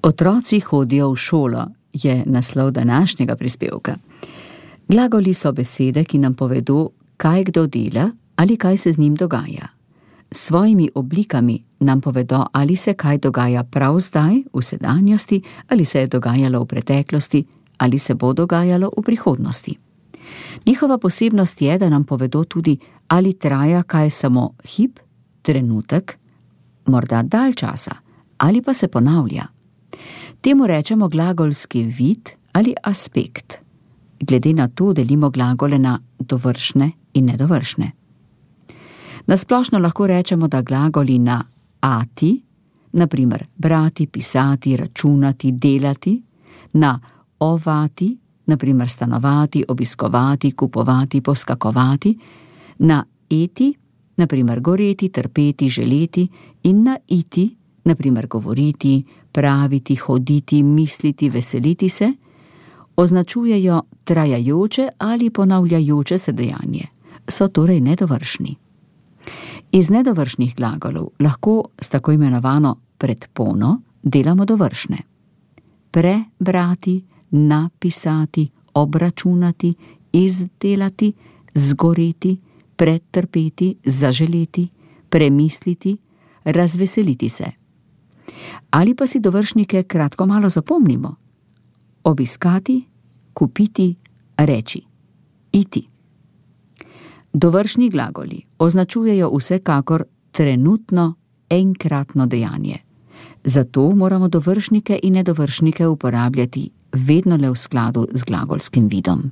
Otroci hodijo v šolo je naslov današnjega prispevka. Glagoli so besede, ki nam povedo, kaj kdo dela ali kaj se z njim dogaja. S svojimi oblikami nam povedo, ali se kaj dogaja prav zdaj, v sedanjosti, ali se je dogajalo v preteklosti, ali se bo dogajalo v prihodnosti. Njihova posebnost je, da nam povedo tudi, ali traja kaj samo hip, trenutek, morda dalj časa, ali pa se ponavlja. Temu rečemo glagolski vid ali aspekt. Glede na to delimo glagole na dovršne in nedovršne. Na splošno lahko rečemo, da glagoli na ati, na primer brati, pisati, računati, delati, na ovati, na primer stanovati, obiskovati, kupovati, poskakovati, na eti, na primer goreti, trpeti, želeti, in na iti, na primer govoriti, praviti, hoditi, misliti, veseliti se, označujejo trajajoče ali ponavljajoče se dejanje, so torej nedovršni. Iz nedovršnih glagolov lahko s tako imenovano predpono delamo dovršne. Prebrati, napisati, obračunati, izdelati, zgoreti, pretrpeti, zaželeti, premisliti, razveseliti se. Ali pa si dovršnike kratko malo zapomnimo. Obiskati, kupiti, reči, iti. Dovršni glagoli označujejo vsekakor trenutno enkratno dejanje. Zato moramo dovršnike in nedovršnike uporabljati vedno le v skladu z glagolskim vidom.